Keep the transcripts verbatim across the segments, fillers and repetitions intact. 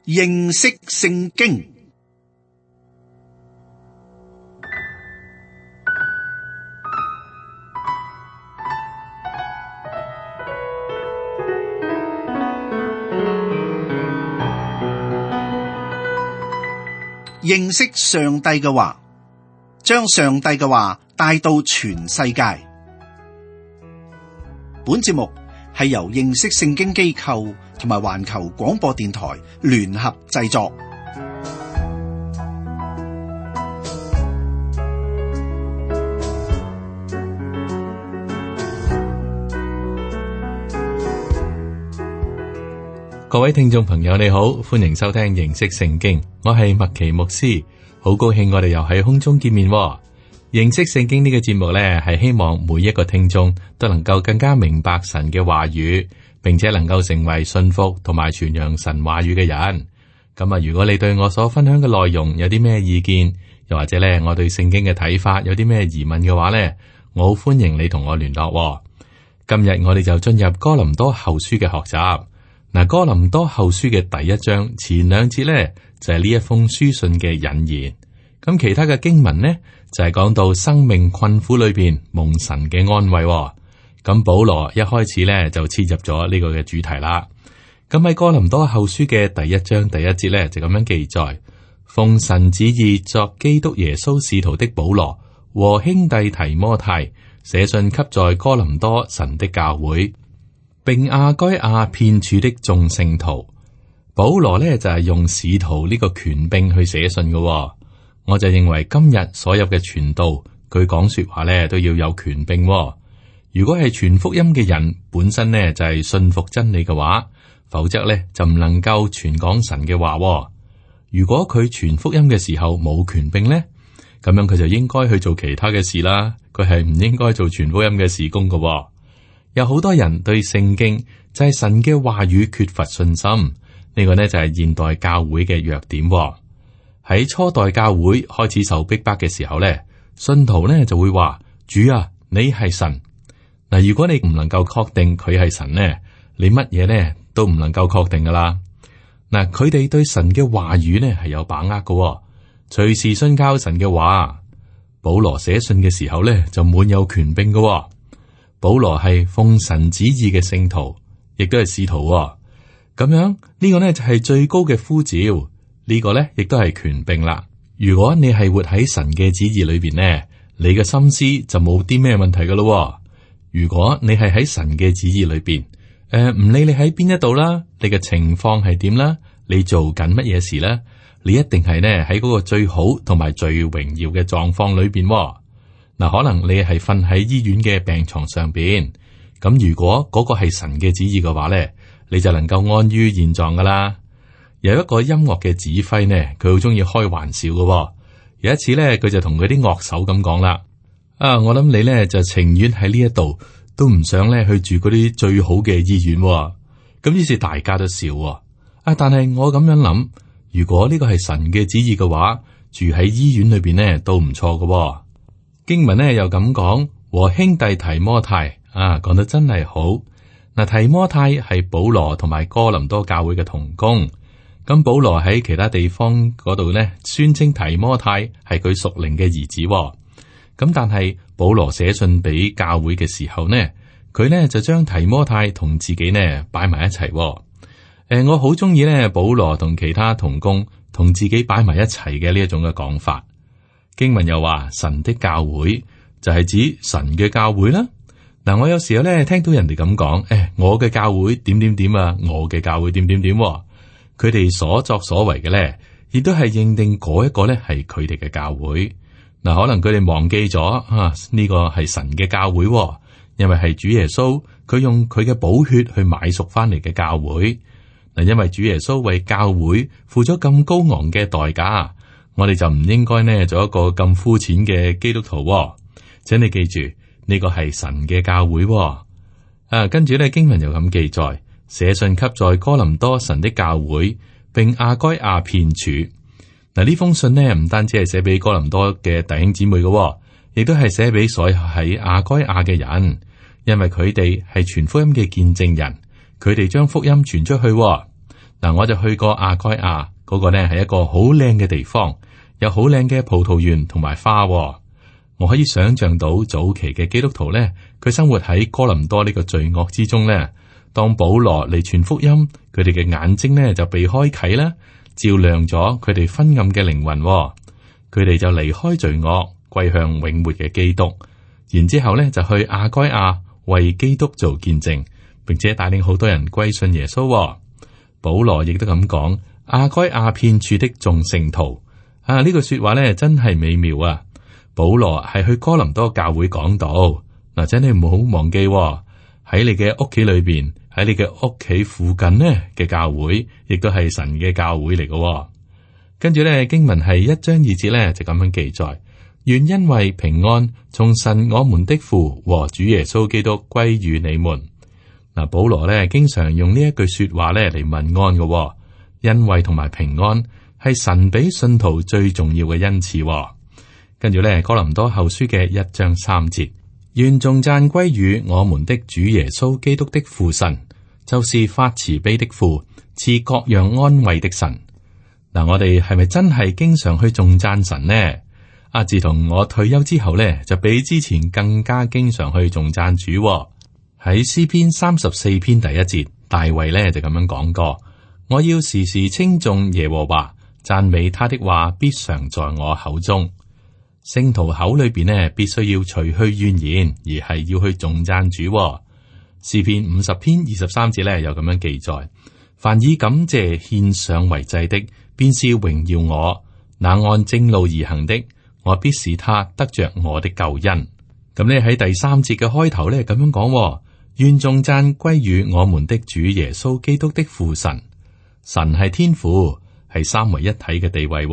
認識聖經。認識上帝嘅話，將上帝嘅話帶到全世界。本節目係由認識聖經機構同埋環球廣播電台聯合製作。各位聽眾朋友你好，歡迎收聽認識聖經，我係麥奇牧師，好高興我哋又喺空中見面。認識聖經呢個節目呢，係希望每一個聽眾都能夠更加明白神嘅話語，並且能夠成為信服同埋傳揚神話語嘅人。咁啊，如果你對我所分享嘅內容有啲咩意見，又或者呢我對聖經嘅睇法有啲咩疑問嘅話呢，我好歡迎你同我聯絡。今日我哋就進入哥林多後書嘅學習。嗱，哥林多後書嘅第一章前兩節呢，就係呢一封書信嘅引言。咁其他嘅經文呢，就係講到生命困苦裏邊蒙神嘅安慰。咁保羅一開始呢，就切入咗呢個嘅主題啦。咁喺哥林多後書嘅第一章第一節呢，就咁樣記載：奉神旨意作基督耶穌使徒的保羅和兄弟提摩太，寫信給在哥林多神的教會，並亞該亞遍處的眾聖徒。保羅呢，就係用使徒呢個權柄去寫信嘅。我就認為今日所有嘅傳道，佢講說話呢，都要有權柄。如果係傳福音嘅人本身呢，就係信服真理嘅話，否則呢，就唔能夠傳講神嘅話。如果佢傳福音嘅時候冇權柄呢，咁樣佢就應該去做其他嘅事啦。佢係唔應該做傳福音嘅事工嘅。有好多人對聖經就係神嘅話語缺乏信心，呢個呢就係現代教會嘅弱點。喺初代教會開始受逼迫嘅時候呢，信徒呢就會話：主啊，你係神。嗱，如果你唔能夠確定佢係神呢，你乜嘢呢都唔能夠確定噶啦。嗱，佢哋對神嘅話語呢係有把握嘅，隨時信靠神嘅話。保羅寫信嘅時候呢就滿有權柄嘅。保羅係奉神旨意嘅聖徒，亦都係使徒。咁樣呢個呢就係最高嘅呼召，呢個呢亦都係權柄啦。如果你係活喺神嘅旨意裏邊呢，你嘅心思就冇啲咩問題噶咯。如果你係喺神嘅旨意裏邊，誒、呃、唔理你喺邊一度啦，你嘅情況係點啦，你做緊乜嘢事啦，你一定係呢喺嗰個最好同埋最榮耀嘅狀況裏邊。嗱，可能你係瞓喺醫院嘅病床上邊，咁如果嗰個係神嘅旨意嘅話咧，你就能夠安於現狀噶啦。有一個音樂嘅指揮呢，佢好中意開玩笑嘅。有一次咧，佢就同佢啲樂手咁講啦：啊，我諗你咧就情願喺呢一度，都唔想咧去住嗰啲最好嘅醫院。咁於是大家都笑。啊，但係我咁樣諗，如果呢個係神嘅旨意嘅話，住喺醫院裏邊呢都唔錯嘅。經文呢又咁講，和兄弟提摩太啊，講得真係好。嗱，提摩太係保羅同埋哥林多教會嘅同工。咁保羅喺其他地方嗰度呢，宣稱提摩太係佢屬靈嘅兒子。咁但係保羅寫信俾教會嘅時候呢，佢呢就將提摩太同自己呢擺埋一齊。誒、呃，我好中意呢保羅同其他同工同自己擺埋一齊嘅呢一種嘅講法。經文又話神的教會就係指神嘅教會啦。嗱，我有時候咧聽到人哋咁講，誒，我嘅教會點點點啊，我嘅教會點點點。佢哋所作所為嘅咧，亦都係認定嗰一個咧係佢哋嘅教會。嗱，可能佢哋忘記咗啊，呢個係神嘅教會，因為係主耶穌佢用佢嘅寶血去買贖翻嚟嘅教會。嗱，因為主耶穌為教會付咗咁高昂嘅代價。我哋就唔應該呢做一個咁膚淺嘅基督徒。請你記住，呢個係神嘅教會。啊，跟住咧經文又咁記載，寫信給在哥林多神的教會，並亞該亞遍處。嗱，呢封信呢唔單止係寫俾哥林多嘅弟兄姊妹嘅，亦都係寫俾所有喺亞該亞嘅人，因為佢哋係傳福音嘅見證人，佢哋將福音傳出去。嗱，嗱，我就去過亞該亞，嗰個呢係一個好靚嘅地方，有好靚嘅葡萄園同埋花。我可以想象到早期嘅基督徒呢，佢生活喺哥林多呢個罪惡之中呢。當保羅嚟傳福音，佢哋嘅眼睛呢就被開啟啦，照亮咗佢哋昏暗嘅靈魂。佢哋就離開罪惡，歸向永活嘅基督。然之後呢就去亞該亞為基督做見證，並且帶領好多人歸信耶穌。保羅亦都咁講：亞該亞遍處的眾聖徒啊，呢句說話呢真係美妙啊！保羅係去哥林多教會講道嗱，真係唔好忘記喺你嘅屋企裏邊，喺你嘅屋企附近呢嘅教會，亦都係神嘅教會嚟嘅。跟住呢經文係一章二節呢就咁樣記載：願因為平安從神我們的父和主耶穌基督歸於你們。嗱，保羅咧經常用呢一句說話咧嚟問安嘅，恩惠同埋平安係神俾信徒最重要嘅恩賜。跟住咧哥林多後書嘅一章三節，願頌讚歸於我們的主耶穌基督的父神，就是發慈悲的父，賜各樣安慰的神。嗱，我哋係咪真係經常去頌讚神呢？啊，自從我退休之後咧，就比之前更加經常去頌讚主。喺詩篇三十四篇第一節，大衛咧就咁樣講過：我要時時稱頌耶和華，讚美他的話必常在我口中。聖徒口裏邊呢，必須要除去怨言，而係要去頌讚主。詩篇五十篇二十三節咧，有咁樣記載：凡以感謝獻上為祭的，便是榮耀我；那按正路而行的，我必使他得着我的救恩。咁呢喺第三節嘅開頭咧，咁樣講：願頌讚歸於我們的主耶穌基督的父神。神係天父，係三位一體嘅地位。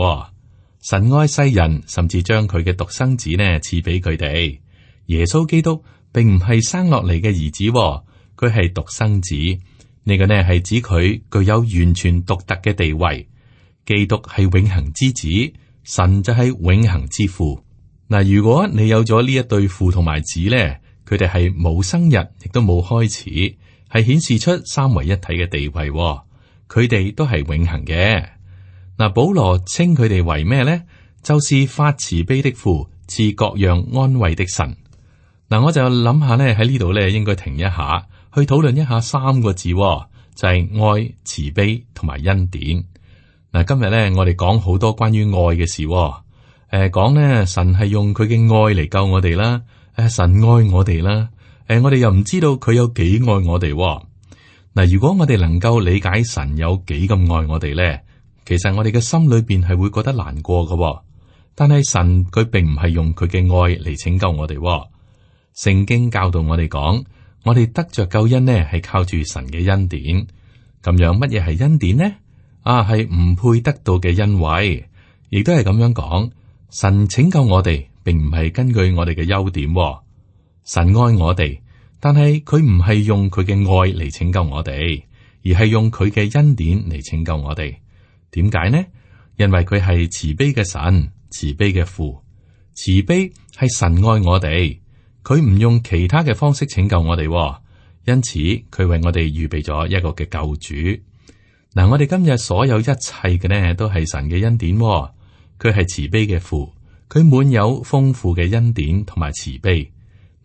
神愛世人，甚至將佢嘅獨生子呢賜俾佢哋。耶穌基督並唔係生落嚟嘅兒子，佢係獨生子。呢個呢係指佢具有完全獨特嘅地位。基督係永恆之子，神就係永恆之父。嗱，如果你有咗呢一對父同埋子呢，佢哋係冇生日，亦都冇開始，係顯示出三位一體嘅地位。佢哋都係永恆嘅。嗱，保羅稱佢哋為咩呢？就是發慈悲的父，賜各樣安慰的神。嗱，我就諗下咧，喺呢度咧應該停一下，去討論一下三個字，就係愛、慈悲同埋恩典。嗱，今日咧我哋講好多關於愛嘅事，誒，講咧神係用佢嘅愛嚟救我哋啦，誒，神愛我哋啦，誒，我哋又唔知道佢有幾愛我哋。嗱，如果我哋能夠理解神有幾咁愛我哋咧，其實我哋嘅心裏邊係會覺得難過嘅。但係神佢並唔係用佢嘅愛嚟拯救我哋。聖經教導我哋講，我哋得着救恩呢係靠住神嘅恩典。咁樣乜嘢係恩典呢？啊，係唔配得到嘅恩惠，亦都係咁樣講。神拯救我哋，並唔係根據我哋嘅優點。神愛我哋，但係佢唔係用佢嘅愛嚟拯救我哋，而係用佢嘅恩典嚟拯救我哋。點解呢？因為佢係慈悲嘅神，慈悲嘅父。慈悲係神愛我哋，佢唔用其他嘅方式拯救我哋，因此佢為我哋預備咗一個嘅救主。嗱，我哋今日所有一切嘅呢，都係神嘅恩典。佢係慈悲嘅父，佢滿有豐富嘅恩典同埋慈悲。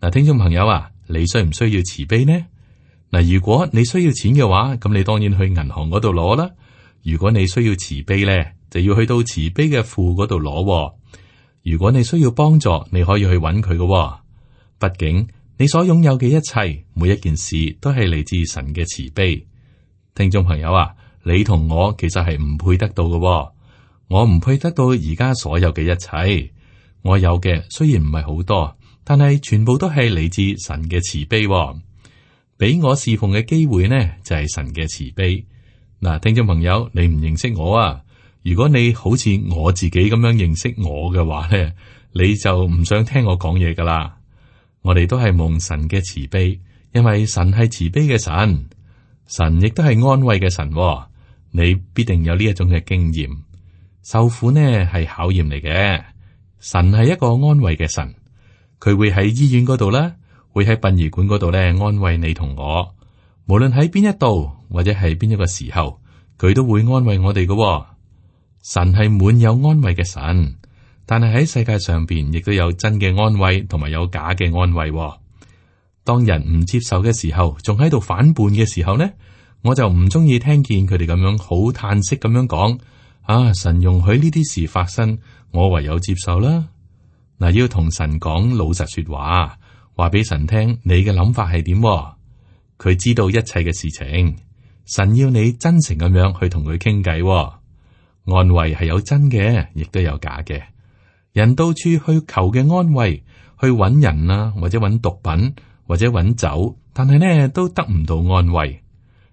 嗱，聽眾朋友啊，你需唔需要慈悲呢？嗱，如果你需要錢嘅話，咁你當然去銀行嗰度攞啦。如果你需要慈悲咧，就要去到慈悲嘅父嗰度攞。如果你需要幫助，你可以去揾佢嘅。畢竟你所擁有嘅一切，每一件事都係嚟自神嘅慈悲。聽眾朋友啊，你同我其實係唔配得到嘅。我唔配得到而家所有嘅一切。我有嘅雖然唔係好多，但係全部都係嚟自神嘅慈悲。俾我侍奉嘅機會呢，就係神嘅慈悲。嗱，聽眾朋友，你唔認識我啊？如果你好似我自己咁樣認識我嘅話咧，你就唔想聽我講嘢噶啦。我哋都係蒙神嘅慈悲，因為神係慈悲嘅神，神亦都係安慰嘅神。你必定有呢一種嘅經驗。受苦呢係考驗嚟嘅，神係一個安慰嘅神，佢會喺醫院嗰度啦，會喺殯儀館嗰度咧安慰你同我。無論喺邊一度或者係邊一個時候，佢都會安慰我哋嘅。神係滿有安慰嘅神，但係喺世界上邊亦都有真嘅安慰，同埋有假嘅安慰。當人唔接受嘅時候，仲喺度反叛嘅時候呢，我就唔中意聽見佢哋咁樣好嘆息咁樣講。啊，神容許呢啲事發生，我唯有接受啦。嗱，要同神講老實說話，話俾神聽你嘅諗法係點。佢知道一切嘅事情，神要你真誠咁樣去同佢傾偈。安慰係有真嘅，亦都有假嘅。人到處去求嘅安慰，去揾人啊，或者揾毒品，或者揾酒，但係呢都得唔到安慰，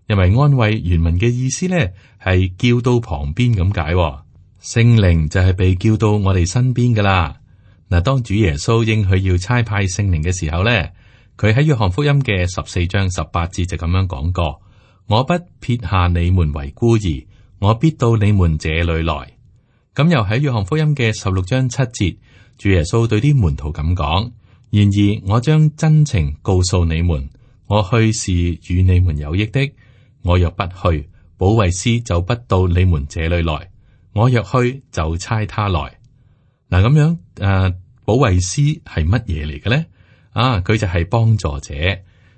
因為安慰原文嘅意思呢係叫到旁邊咁解。聖靈就係被叫到我哋身邊噶啦。嗱，當主耶穌應許要差派聖靈嘅時候呢，佢喺約翰福音嘅十四章十八節就咁樣講過：我不撇下你們為孤兒，我必到你們這裏來。咁又喺約翰福音嘅十六章七節，主耶穌對啲門徒咁講：然而我將真情告訴你們，我去是與你們有益的。我若不去，保惠師就不到你們這裏來；我若去，就差他來。嗱，咁樣誒，保惠師係乜嘢嚟嘅咧？啊，佢就係幫助者，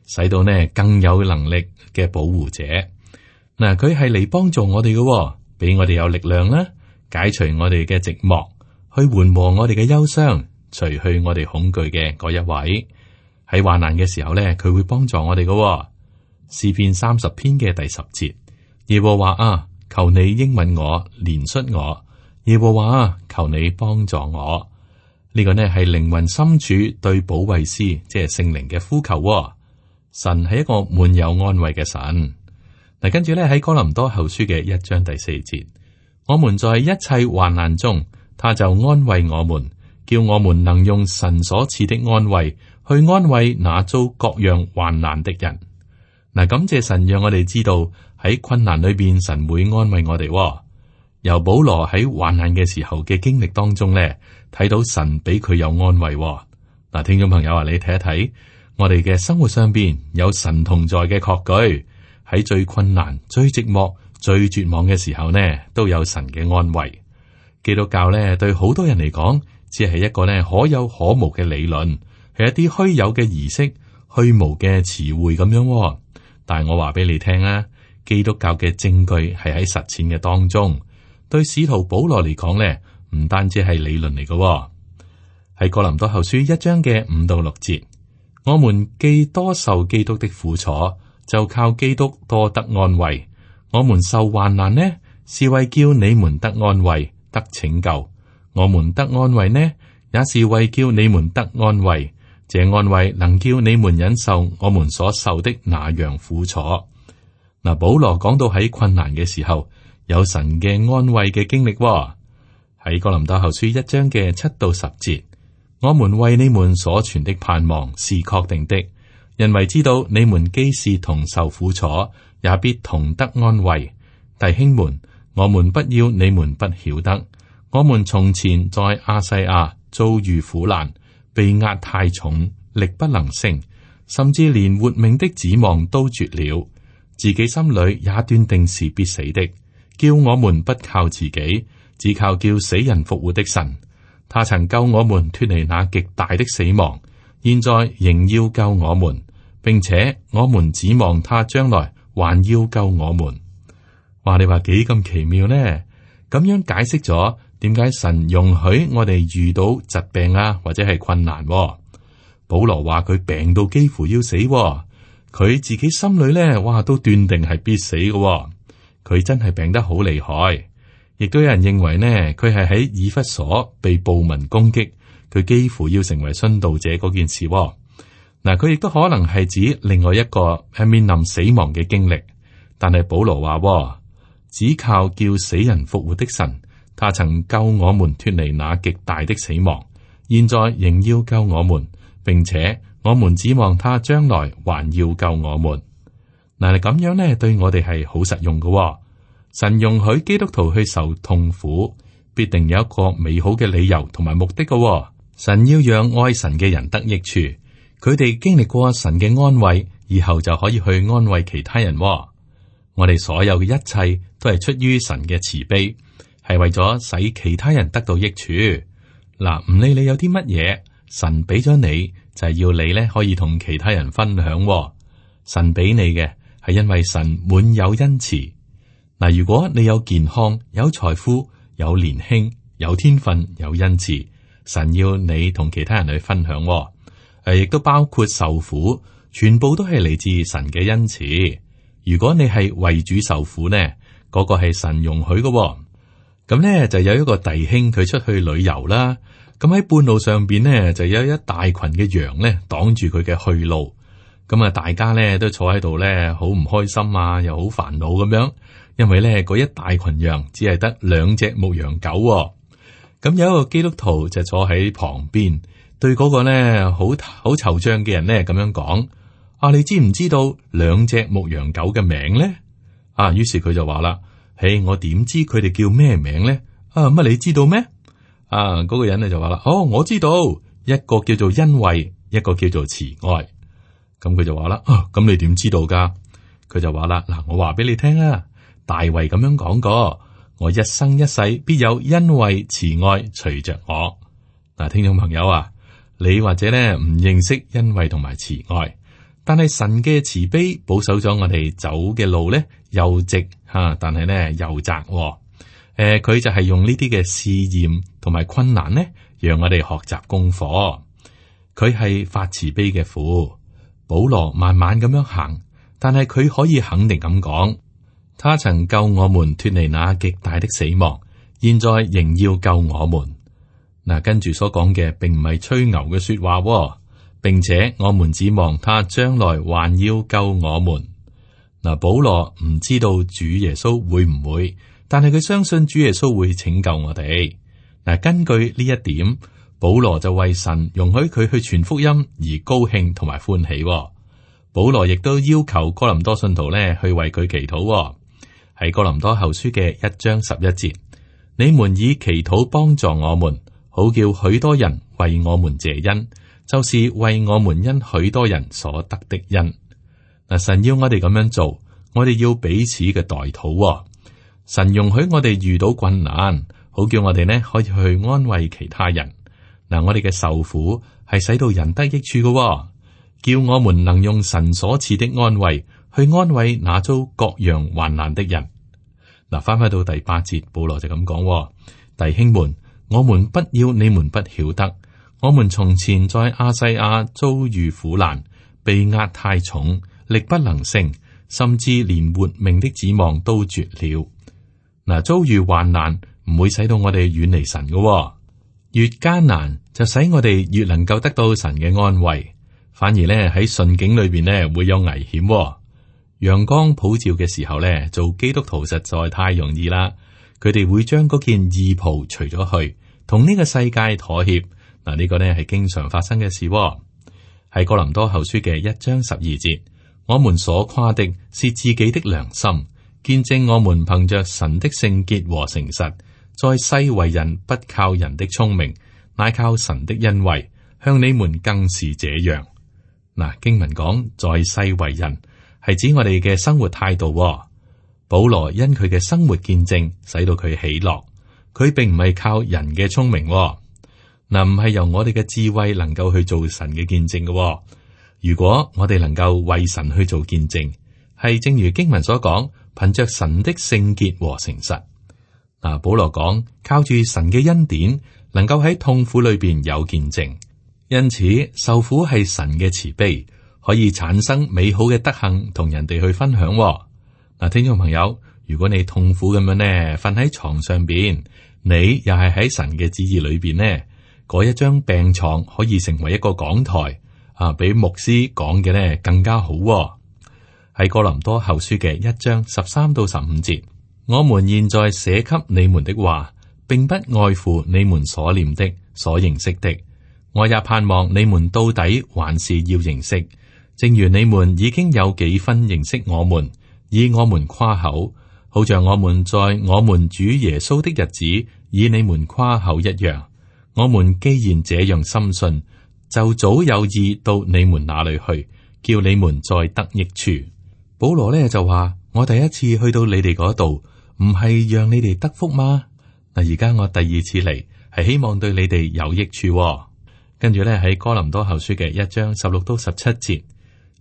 使到呢更有能力嘅保護者。嗱，佢係嚟幫助我哋嘅，俾我哋有力量啦，解除我哋嘅寂寞，去緩和我哋嘅憂傷，除去我哋恐懼嘅嗰一位。喺患難嘅時候咧，佢會幫助我哋嘅。詩篇三十篇嘅第十節，耶和華啊，求你應允我，憐恤我。耶和華啊，求你幫助我。呢、這個呢係靈魂深處對保惠師，即係聖靈嘅呼求。神係一個滿有安慰嘅神。嗱，跟住咧喺哥林多後書嘅一章第四節，我們在一切患難中，他就安慰我們，叫我們能用神所賜的安慰去安慰那遭各樣患難的人。嗱，感謝神讓我哋知道喺困難裏邊，神會安慰我哋。由保羅喺患難嘅時候嘅經歷當中咧，睇到神俾佢有安慰。嗱，聽眾朋友啊，你睇一睇我哋嘅生活上邊有神同在嘅確據，喺最困難、最寂寞、最絕望嘅時候呢，都有神嘅安慰。基督教咧對好多人嚟講，只係一個咧可有可無嘅理論，係一啲虛有嘅儀式、虛無嘅詞彙咁樣。但係我話俾你聽啊，基督教嘅證據係喺實踐嘅當中。對使徒保羅嚟講咧，唔單止係理論嚟嘅。喺哥林多後書一章嘅五到六節，我們既多受基督的苦楚，就靠基督多得安慰。我們受患難呢，是為叫你們得安慰，得拯救；我們得安慰呢，也是為叫你們得安慰。這安慰能叫你們忍受我們所受的那樣苦楚。嗱，保羅講到喺困難嘅時候，有神嘅安慰嘅經歷。喺哥林多後書一章嘅七到十節，我們為你們所存的盼望是確定的，因為知道你們既是同受苦楚，也必同得安慰。弟兄們，我們不要你們不曉得，我們從前在亞細亞遭遇苦難，被壓太重，力不能勝，甚至連活命的指望都絕了，自己心裏也斷定是必死的。叫我們不靠自己，只靠叫死人復活的神。他曾救我們脫離那極大的死亡，現在仍要救我們，並且我們指望他將來還要救我們。話你話幾咁奇妙呢？咁樣解釋咗點解神容許我哋遇到疾病啊，或者係困難。保羅話佢病到幾乎要死，佢自己心裏咧，哇都斷定係必死嘅。佢真係病得好厲害，亦都有人認為呢，佢係喺以弗所被暴民攻擊，佢幾乎要成為殉道者嗰件事。嗱，佢亦都可能係指另外一個係面臨死亡嘅經歷。但係保羅話，只靠叫死人復活的神，他曾救我們脫離那極大的死亡，現在仍要救我們，並且我們指望他將來還要救我們。嗱，咁樣咧，對我哋係好實用嘅。神容許基督徒去受痛苦，必定有一個美好嘅理由同埋目的嘅。神要讓愛神嘅人得益處，佢哋經歷過神嘅安慰，以後就可以去安慰其他人。我我哋所有嘅一切都係出於神嘅慈悲，係為咗使其他人得到益處。嗱，唔理你有啲乜嘢，神俾咗你就係要你咧可以同其他人分享。神俾你嘅係因為神滿有恩慈。嗱，如果你有健康、有財富、有年輕、有天分、有恩慈，神要你同其他人去分享。誒，亦都包括受苦，全部都係嚟自神嘅恩慈。如果你係為主受苦呢，嗰個係神容許嘅。咁呢就有一個弟兄佢出去旅遊啦，咁喺半路上邊呢就有一大群嘅羊呢擋住佢嘅去路，咁啊大家呢都坐喺度呢好唔開心啊，又好煩惱咁樣，因為呢嗰一大群羊只係得兩隻牧羊狗。咁有一個基督徒就坐喺旁邊，對嗰個呢好好惆悵嘅人呢咁樣講：啊，你知唔知道兩隻牧羊狗嘅名呢？啊，於是佢就話啦：嘿，我點知佢哋叫咩名呢？啊，乜你知道咩？啊，嗰個人咧就話啦：哦，我知道，一個叫做恩惠，一個叫做慈愛。咁佢就話啦：啊，咁你點知道噶？佢就話啦：嗱，我話俾你聽啊，大衛咁樣講過，我一生一世必有恩惠慈愛隨着我。嗱，聽眾朋友啊，你或者咧唔認識恩惠同埋慈愛。但係神嘅慈悲保守咗我哋走嘅路咧，又直吓，但係咧又窄。誒、呃，佢就係用呢啲嘅試驗同埋困難咧，讓我哋學習功課。佢係發慈悲嘅父。保羅慢慢咁樣行，但係佢可以肯定咁講，他曾救我們脫離那極大的死亡，現在仍要救我們。嗱，跟住所講嘅並唔係吹牛嘅說話。並且我們指望他將來還要救我們。嗱，保羅唔知道主耶穌會唔會，但係佢相信主耶穌會拯救我哋。嗱，根據呢一點，保羅就為神容許佢去傳福音而高興同埋歡喜。保羅亦都要求哥林多信徒咧去為佢祈禱。喺哥林多後書嘅一章十一節，你們以祈禱幫助我們，好叫許多人為我們謝恩。就是為我們因許多人所得的恩。嗱，神要我哋咁樣做，我哋要彼此嘅代禱。神容許我哋遇到困難，好叫我哋呢可以去安慰其他人。嗱，我哋嘅受苦係使到人得益處嘅，叫我們能用神所賜的安慰去安慰那遭各樣患難的人。嗱，翻返到第八節，保羅就咁講：弟兄們，我們不要你們不曉得。我們從前在亞細亞遭遇苦難，被壓太重，力不能勝，甚至連活命的指望都絕了。嗱，遭遇患難唔會使到我哋遠離神嘅，越艱難就使我哋越能夠得到神嘅安慰。反而咧喺順境裏邊咧會有危險。陽光普照嘅時候咧，做基督徒實在太容易啦。佢哋會將嗰件義袍除咗去，同呢個世界妥協。嗱，呢個呢係經常發生嘅事。喺哥林多後書嘅一章十二節，我們所誇的是自己的良心，見證我們憑着神的聖潔和誠實，在世為人不靠人的聰明，乃靠神的恩惠，向你們更是這樣。嗱，經文講在世為人，係指我哋嘅生活態度。保羅因佢嘅生活見證，使到佢喜樂。佢並唔係靠人嘅聰明。嗱，唔係由我哋嘅智慧能夠去做神嘅見證嘅。如果我哋能夠為神去做見證，係正如經文所講，憑着神的聖潔和誠實。嗱，保羅講靠住神嘅恩典，能夠喺痛苦裏邊有見證。因此，受苦係神嘅慈悲，可以產生美好嘅德行，同人哋去分享。嗱，聽眾朋友，如果你痛苦咁樣呢，瞓喺床上邊，你又係喺神嘅旨意裏邊呢？嗰一張病床可以成為一個講台啊，比牧師講嘅呢更加好。喺哥林多後書嘅一章十三到十五節，我們現在寫給你們的話，並不外乎你們所念的、所認識的。我也盼望你們到底還是要認識，正如你們已經有幾分認識我們，以我們誇口，好像我們在我們主耶穌的日子以你們誇口一樣。我們既然這樣深信，就早有意到你們那裏去，叫你們再得益處。保羅呢就話：我第一次去到你哋嗰度，唔係讓你哋得福嗎？嗱，而家我第二次嚟，係希望對你哋有益處，哦。跟住咧喺哥林多後書嘅一章十六到十七節，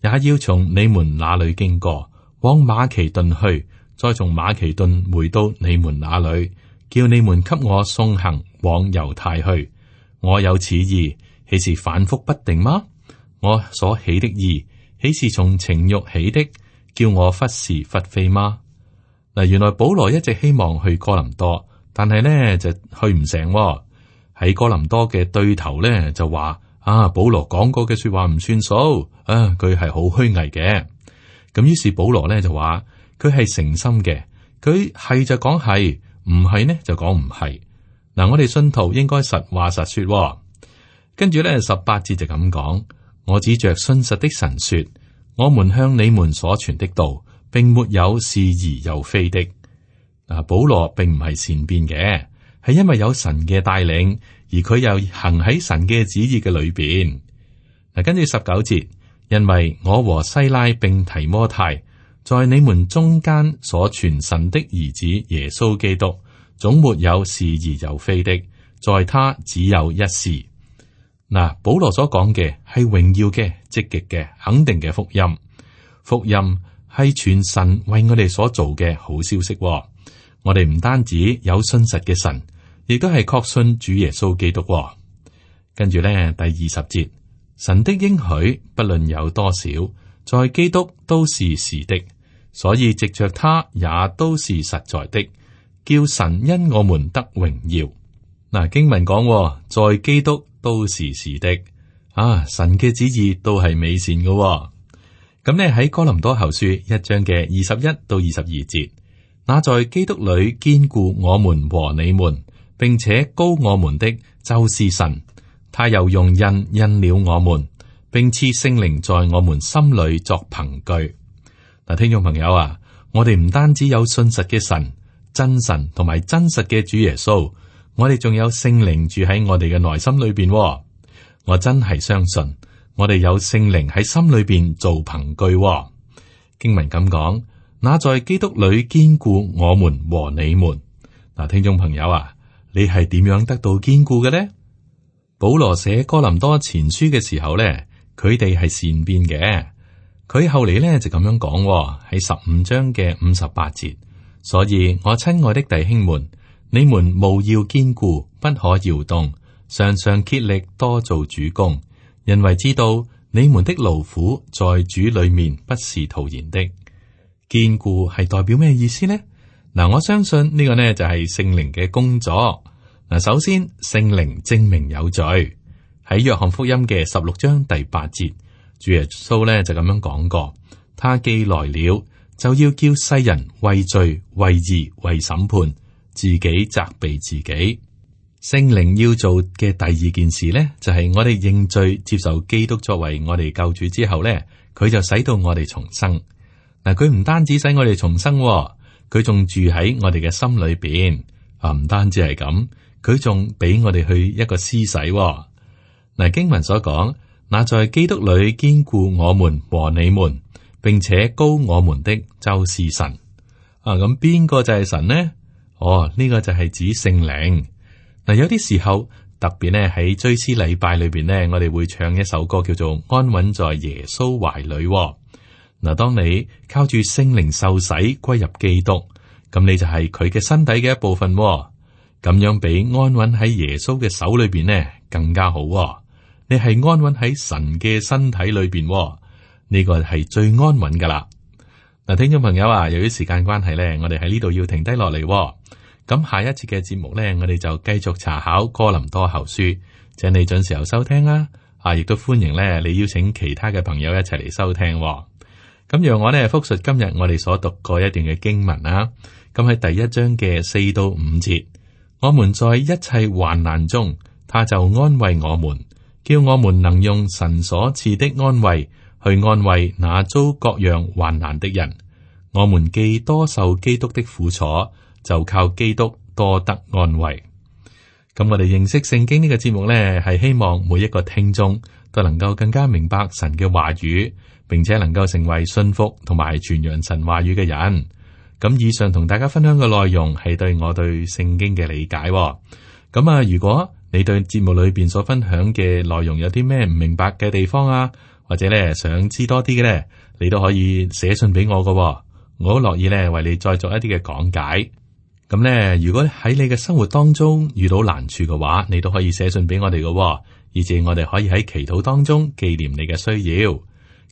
也要從你們那裏經過，往馬其頓去，再從馬其頓回到你們那裏，叫你們給我送行往猶太去。我有此意，豈是反覆不定嗎？我所起的意，豈是從情欲起的，叫我忽是忽非嗎？嗱，原來保羅一直希望去哥林多，但係呢就去唔成，哦。喺哥林多嘅對頭咧就話啊，保羅講過嘅說話唔算數啊，佢係好虛偽嘅。咁於是保羅咧就話佢係誠心嘅，佢係就講係，唔係呢就講唔係。嗱，我哋信徒應該實話實說，哦。跟住咧十八節就咁講，我指着信實的神說，我們向你們所傳的道，並沒有是而又非的。嗱，保羅並唔係善變嘅。係因為有神嘅帶領，而佢又行喺神嘅旨意嘅裏邊。嗱，跟住十九節，因為我和西拉並提摩太在你們中間所傳神的兒子耶穌基督，總沒有是而又非的，在他只有一是。嗱，保羅所講嘅係榮耀嘅、積極嘅、肯定嘅福音。福音係傳神為我哋所做嘅好消息。我哋唔單止有信實嘅神，亦都係確信主耶穌基督。跟住咧，第二十節，神的應許不論有多少，在基督都是是的，所以藉着他也都是實在的，叫神因我們得榮耀。嗱，經文講，在基督都是是的，啊，神嘅旨意都係美善嘅。咁咧喺哥林多後書一章嘅二十一到二十二節，那在基督裏堅固我們和你們，並且膏我們的，就是神。他又用印印了我們，並賜聖靈在我們心裏作憑據。嗱，聽眾朋友啊，我哋唔單止有信實嘅神、真神同埋真實嘅主耶穌，我哋仲有聖靈住喺我哋嘅內心裏邊。我真係相信，我哋有聖靈喺心裏邊做憑據。經文咁講，那在基督裏堅固我們和你們。嗱，聽眾朋友啊，你係點樣得到堅固嘅呢？保羅寫哥林多前書嘅時候咧，佢哋係善變嘅。佢後嚟咧就咁樣講，喺十五章嘅五十八節。所以我親愛的弟兄們，你們務要堅固，不可搖動，常常竭力多做主工，因為知道你們的勞苦在主裏面不是徒然的。堅固係代表咩意思呢？嗱，我相信呢個呢就係聖靈嘅工作。嗱，首先聖靈證明有罪，喺約翰福音嘅十六章第八節，主耶穌呢就咁樣講過：他既來了，就要叫世人為罪、為義、為審判，自己責備自己。聖靈要做嘅第二件事呢，就係、是、我哋認罪、接受基督作為我哋救主之後呢，佢就使到我哋重生。嗱，佢唔單止使我哋重生，佢仲住喺我哋嘅心裏邊。啊，唔單止係咁。佢仲俾我哋去一個施洗。嗱，經文所講，那在基督裏堅固我們和你們，並且膏我們的，就是神。啊，咁邊個就係神呢？哦，呢個就係指聖靈。嗱，有啲時候特別咧喺追思禮拜裏邊咧，我哋會唱一首歌叫做《安穩在耶穌懷裏》。嗱，當你靠住聖靈受洗歸入基督，咁你就係佢嘅身體嘅一部分。咁樣比安穩喺耶穌嘅手裏邊呢更加好。你係安穩喺神嘅身體裏邊，呢個係最安穩噶啦。嗱，聽眾朋友啊，由於時間關係呢，我哋喺呢度要停低落嚟。咁下一次嘅節目呢，我哋就繼續查考哥林多後書，請你準時候收聽啦。啊，亦都歡迎呢你邀請其他嘅朋友一齊嚟收聽。咁讓我呢複述今日我哋所讀過一段嘅經文啦。咁喺第一章嘅四到五節。我們在一切患難中，他就安慰我們，叫我們能用神所賜的安慰去安慰那遭各樣患難的人。我們既多受基督的苦楚，就靠基督多得安慰。咁我哋認識聖經呢個節目呢，係希望每一個聽眾都能夠更加明白神嘅話語，並且能夠成為信服同埋傳揚神話語嘅人。咁以上同大家分享嘅內容係對我對聖經嘅理解。咁啊，如果你對節目裏邊所分享嘅內容有啲咩唔明白嘅地方啊，或者咧想知多啲嘅咧，你都可以寫信俾我噶，我好樂意咧為你再做一啲嘅講解。咁咧，如果喺你嘅生活當中遇到難處嘅話，你都可以寫信俾我哋噶，以至我哋可以喺祈禱當中紀念你嘅需要。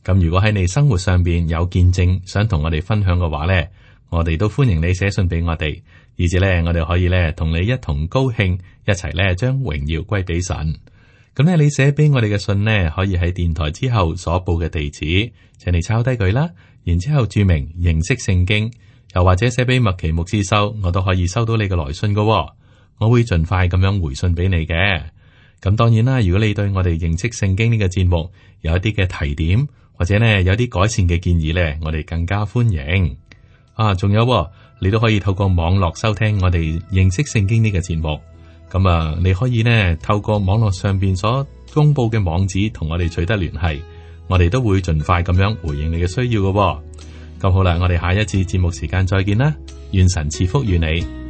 咁如果喺你生活上邊有見證想同我哋分享嘅話咧，我哋都歡迎你寫信俾我哋，以至咧我哋可以咧同你一同高興，一齊咧將榮耀歸俾神。咁咧，你寫俾我哋嘅信呢，可以喺電台之後所報嘅地址，請你抄低佢啦，然之後注明認識聖經。又或者寫俾麥奇牧師收，我都可以收到你嘅來信噶，我會盡快咁樣回信俾你嘅。咁當然啦，如果你對我哋認識聖經呢個節目有一啲嘅提點，或者呢有啲改善嘅建議呢，我哋更加歡迎。啊，仲有你都可以透過網絡收聽我哋認識聖經呢個節目。咁啊，你可以呢透過網絡上邊所公布嘅網址同我哋取得聯繫，我哋都會盡快咁樣回應你嘅需要噶。咁好啦，我哋下一次節目時間再見啦，願神賜福於你。